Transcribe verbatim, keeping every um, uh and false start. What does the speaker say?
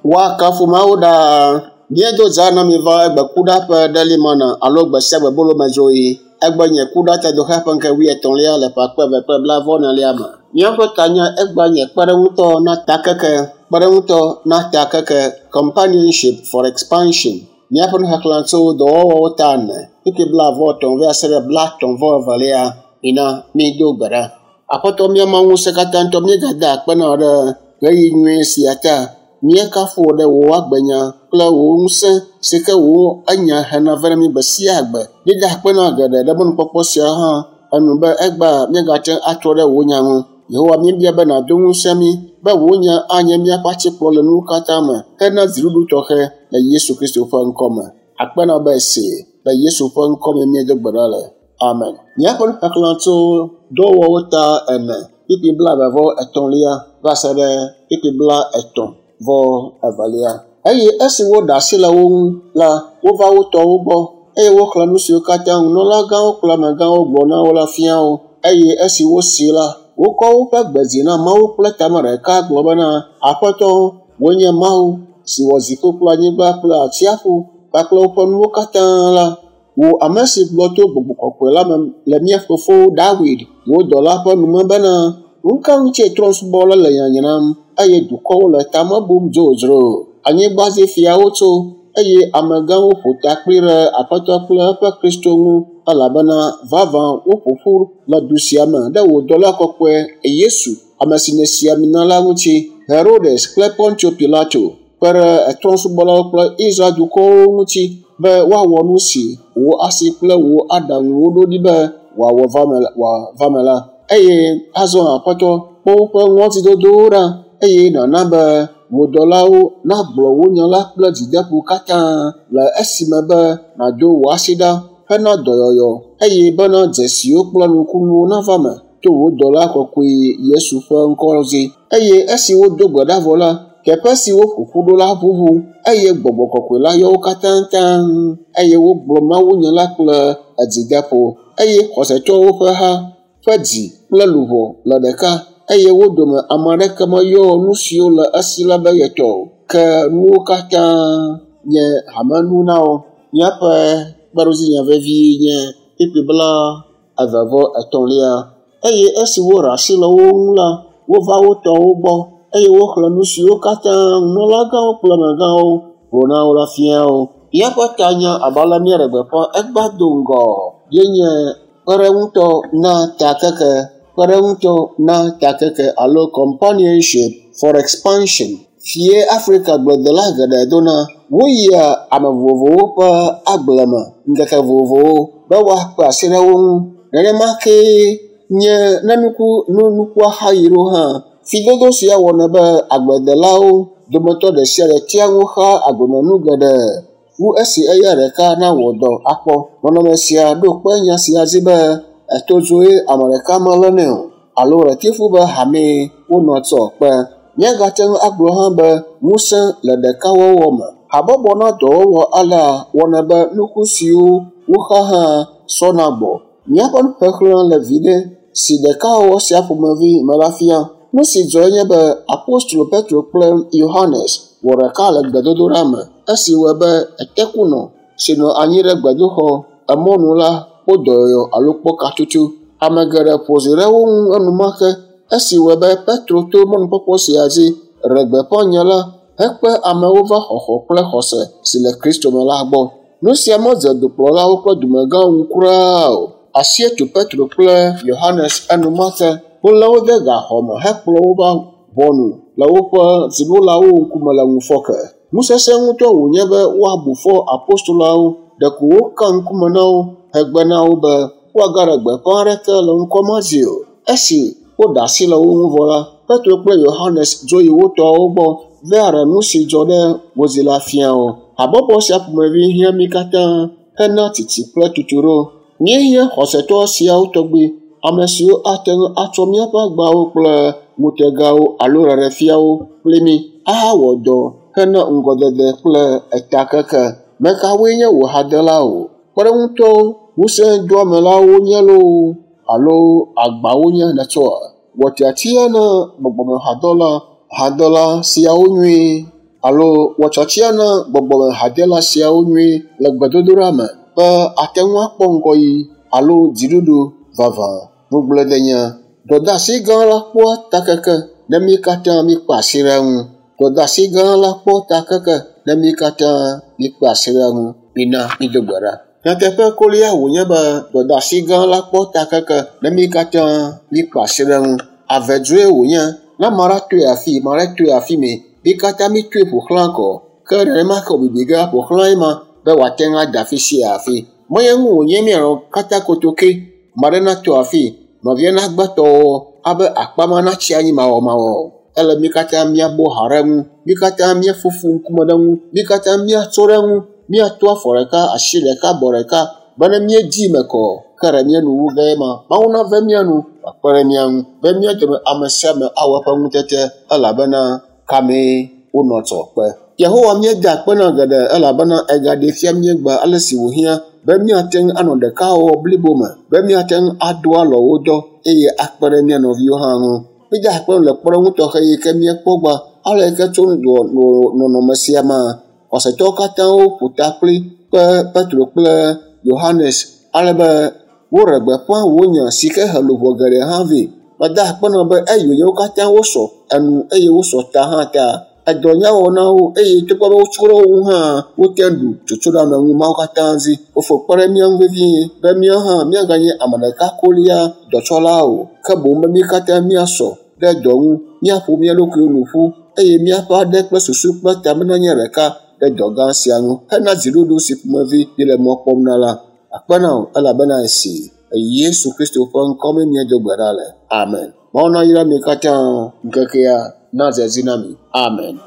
Woakafu Mawu ɖaa. Míedo dza na mi va egbe kuɖa ƒe ɖelimana alo gbe sia gbe bolomedzoɣi. Egbe nye kuɖa tedoxe ƒe ŋke wuietɔ̃lia le ƒe akpe eve kple blaeve-vɔ-enelia me. Míaƒe tanya egbea nye kpeɖeŋutɔ na takeke, kpeɖeŋutɔ na takeke, companionship for expansion. Míaƒe nuxexlẽ tso dɔwɔwɔwo ta ene, kpukpui blaeve-vɔ-etɔ̃ va se ɖe blaetɔ̃-vɔ-evelia. Mina mído gbe ɖa. Aƒetɔ mía Mawu ŋusẽkatãtɔ, míegada akpe na wò ɖe ɣeyiɣi nyui sia ta. Míekafu wò ɖe wò agbenya kple wò ŋusẽ si ke wò enya hena vɛ na mí gbe sia gbe. Míeda akpe na geɖe ɖe mɔnukpɔkpɔ sia hã enu be egbea míagate ŋu atrɔ ɖe wò nya ŋu. Yehowa míebia be nàdo ŋusẽ mí be wò nya anye míaƒe atikplɔ le nuwo katã me hena dziɖuɖu tɔxɛ le Yesu Kristo ƒe ŋkɔ me. Akpe na wò be èsee le Yesu ƒe ŋkɔ me míedo gbe ɖa le. Amen. Míaƒe nuxexlẽ tso dɔwɔwɔwo ta ene, kpukpui blaeve vɔ etɔ̃lia va se ɖe kpukpui blaetɔ̃ vɔ evelia. Eye esi woɖe asi le wo ŋu la, wova wo tɔwo gbɔ eye woxlẽ nu siwo katã nunɔlagãwo kple amegãwo gblɔ na wo la fia wo. Eye esi wosee la, wokɔ woƒe gbe dzi na Mawu kple tame ɖeka gblɔ bena, Aƒetɔ, wòe nye Mawu si wɔ dziƒo kple anyigba kple atsiaƒu kpakple woƒe nuwo katã la. Wò ame si gblɔ to Gbɔgbɔ Kɔkɔe la me le mía fofo Dawid, wò dɔla ƒe nume bena, nu ka ŋutie trɔ̃subɔla le nyanyram eye dukɔwo le tame bum dzodzro? Anyigba dzi fiawo tso eye amegãwo ƒo takpli ɖe Aƒetɔ kple eƒe Kristo ŋu elabena vavã woƒo ƒu le du sia me ɖe wò dɔla kɔkɔe Yesu, ame si nèsi ami na la ŋuti. Herodes kple Pontio Pilato kpe ɖe trɔ̃subɔlawo kple Israel dukɔwo ŋuti be woawɔ nu si wò asi kple wò aɖaŋuwo ɖo ɖi be wòawɔ va me la. Eye azɔ Aƒetɔ, kpɔ woƒe ŋɔdzidodowo ɖa eye nàna be wò dɔlawo nagblɔ wò nya la kple dzideƒo katã le esime be nàdo wò asi ɖa hena dɔyɔyɔ eye bena dzesiwo kple nukunuwo nava me to wò dɔla kɔkɔe Yesu ƒe ŋkɔ dzi. Eye esi wodo gbe ɖa vɔ la, teƒe si woƒo ƒu ɖo la ʋuʋu eye Gbɔgbɔ Kɔkɔe la yɔ wo katã taŋ eye wogblɔ mawunya la kple dzideƒo. Eye xɔsetɔwo ƒe ha ƒe dzi kple luʋɔ le ɖeka eye wo dome ame aɖeke meyɔ nu siwo le esi la be yetɔ o, ke nuwo katã nye hamenu na wo. Míaƒe kpeɖodzinya vevi nye kpukpui blaeve vɔ etɔ̃lia. Eye esi woɖe asi le wo ŋu la, wova wo tɔwo gbɔ eye woxlẽ nu siwo katã nunɔlagãwo kple amegãwo gblɔ na wo la fia wo. Míaƒe tanya abe ale míeɖe gbeƒã egbea do ŋgɔ ye nye kpeɖeŋutɔ na takeke, kpeɖeŋutɔ na takeke alo companionship for expansion. Fie Afrika gbledela geɖe dona. Woyia ame vovovowo ƒe agble me ŋkeke vovovowo be woakpe asi ɖe wo ŋu. Nenema kee nye ne nuku nu nukua xaɣi ɖo hã. Fidodo sia wɔnɛ be agbledelawo dometɔ ɖe sia ɖe tea ŋu xaa agblemenu geɖe wu esi eya ɖeka nawɔ dɔ akpɔ. Nɔnɔme sia ɖo kpe nya sia dzi be etodzoe ame ɖeka melénɛ o alo ʋletifu be hamee wonɔ tsɔ kpe. Míagate ŋu agblɔ hã be ŋusẽ le ɖekawɔwɔ me. Habɔbɔ na dɔwɔwɔ alea wɔnɛ be nuku siwo woxa hã sɔna gbɔ. Míaƒe nuxexlẽ le viɖe si ɖekawɔwɔ sia ƒomevi me la fia. Nu si dzɔe nye be Apostolo Petro kple Yohanes wɔ ɖeka le gbedodoɖa me esi wɔe be etekunɔ si nɔ anyi ɖe gbedoxɔ emɔnu la kpɔ dɔyɔyɔ alo kpɔ katutu. Ame geɖe ƒo zi ɖe wo ŋu enumake esi wɔe be Petro to mɔnukpɔkpɔ sia dzi ɖe gbeƒã nya la hekpe amewo va xɔxɔ kple xɔse si le Kristo me la gbɔ. Nu sia medze dukplɔlawo kple dumegãwo ŋu kura o. Asie tu Petro kple Yohanes enumake. Wolé wo de gaxɔ me hekplɔ wo va ʋɔnu le woƒe dziɖulawo ŋkume le ŋufɔke. Nusesẽ ŋutɔ wònye be woabu fɔ apostoloawo ɖeko woka ŋkume na wo hegbe na wo be woagaɖe gbeƒã aɖeke le ŋkɔ ma dzi o. Esi woɖe asi le wo ŋu vɔ la, Petro kple Yohanes dzo yi wo tɔwo gbɔ va ɖe nu si dzɔ ɖe wo dzi la fia wo. Habɔbɔ sia ƒomevi hiã mí katã hena tsitsi kple tutuɖo. Míehiã xɔsetɔ siawo tɔgbi, ame siwo ate ŋu atsɔ míaƒe agbawo kple ŋutegawo alo ɖeɖefiawo kpli mí ahawɔ dɔ hena ŋgɔdede kple etakeke. Mekawoe nye wò hadelawo? Kpeɖeŋutɔwo, ŋusẽdoamelawo nye loo alo agbawo nye nètsɔa? Wɔ tiatia na gbɔgbɔmehadɔla hadela siawo nyuie alo wɔ tiatia na gbɔgbɔmehadela siawo nyuie le gbedodoɖa me be ate ŋu akpɔ ŋgɔyiyi alo dziɖuɖu vavã. Ŋugbledenya. Dɔdeasi gã la kpɔa takeke ne mí katã míkpe asi ɖe eŋu. Dɔdeasi gã la kpɔ takeke ne mí katã míkpe asi ɖe eŋu. Mina mído gbe ɖa. Nyateƒe kolia wònye be dɔdeasi gã la kpɔ takeke ne mí katã míkpe asi ɖe eŋu. Avedzoe wònye ne ame aɖe toe afi, ame aɖe toe afi mɛ. Mí katã mítoe ƒo xlã kɔ. Ke nenema ke wòbibi ge aƒo xlã ema be wòate ŋu ada afi sia afi. Menye nu wònye míanɔ katã kotoke. Ame aɖe nato afi, nɔvia nagbe tɔwɔwɔ abe akpa ma natsi anyi mawɔmawɔ o. Ele mí katã míabɔ ha ɖe eŋu. Mí katã míaƒoƒu ŋkume ɖe eŋu. Mí katã míatso ɖe eŋu. Míato afɔ ɖeka, asi ɖeka, abɔ ɖeka be ne míedzi me kɔ ke ɖe mía nu wu ge ema. Mawu nave mía nu wòakpe ɖe mía ŋu be mía dome ame sia ame awɔ eƒe ŋutete elabena kamee wonɔ tsɔ kpe. Yehowa míeda akpe na geɖe elabena egaɖee fia míegbe ale si wòhiã be míate ŋu anɔ ɖekawɔwɔ blibo me, be míate ŋu ado alɔ wo dɔ eye akpe ɖe mía nɔviwo hã ŋu. Míeda akpe le kpɔɖeŋu tɔxɛ yi ke míekpɔ gbɔ ale yi ke tso nɔnɔme sia mea, xɔsetɔwo katã woƒo ta kpli kpe Petro kple Yohanes ale be woɖe gbeƒã wò nya si ke he luʋɔ geɖe hã vɛ. Meda akpe na be eyi wònye wo katã wosɔ enu eye wosɔ ta hã ta. Edɔ nyawɔ na wo eye togbɔ be wotso ɖe wo ŋu hã wote ŋu ɖu tsotsoɖeameŋu mawo katã dzi. Fofo kpe ɖe mía ŋu vevie be míawo hã míaganye ame ɖeka kolia dɔtsɔla o ke boŋ be mí katã míasɔ ɖe dɔ ŋu, míaƒo mía ɖokuiwo nu ƒu eye míaƒe aɖe kple susu kple tame nanye ɖeka ɖe dɔ gã sia ŋu hena dziɖuɖu si ƒomevi míele mɔ kpɔm na la. Akpe na wò elabena esi Yesu Kristo ƒe ŋkɔ mee míedo gbe ɖa le. Amen. Mawu nayra mi katã ŋkekea nadze edzi na mi. Amen.